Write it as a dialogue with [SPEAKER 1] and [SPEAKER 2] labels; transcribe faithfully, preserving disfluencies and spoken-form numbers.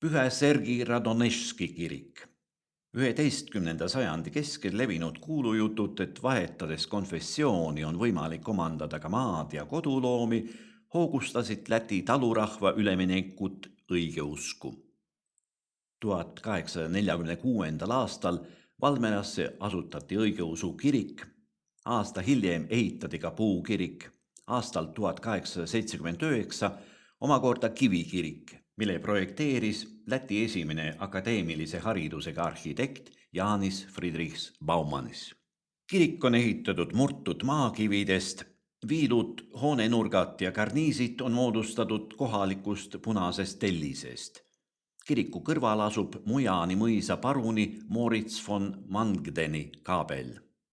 [SPEAKER 1] Pühä Sergi Radonežski kirik. üheteistkümnenda sajandi keskel levinud kuulujutud, et vahetades konfessiooni on võimalik omandada ka maad ja koduloomi, hoogustasid Läti talurahva üleminekut õigeusku. tuhat kaheksasada neljakümne kuuendal aastal Valmerasse asutati õigeusu kirik, aasta hiljem ehitati ka puukirik, aastal tuhat kaheksasada seitsekümmend üheksa omakorda kivikirik, mille projekteeris Läti esimene akadeemilise haridusega arhitekt Jānis Friedrichs Baumanis. Kirik on ehitatud murtud maakividest, viilud, hoonenurgad ja karniisid on moodustatud kohalikust punasest tellisest. Kiriku kõrval asub Mujani mõisa paruni Moritz von Mangdeni kaabel.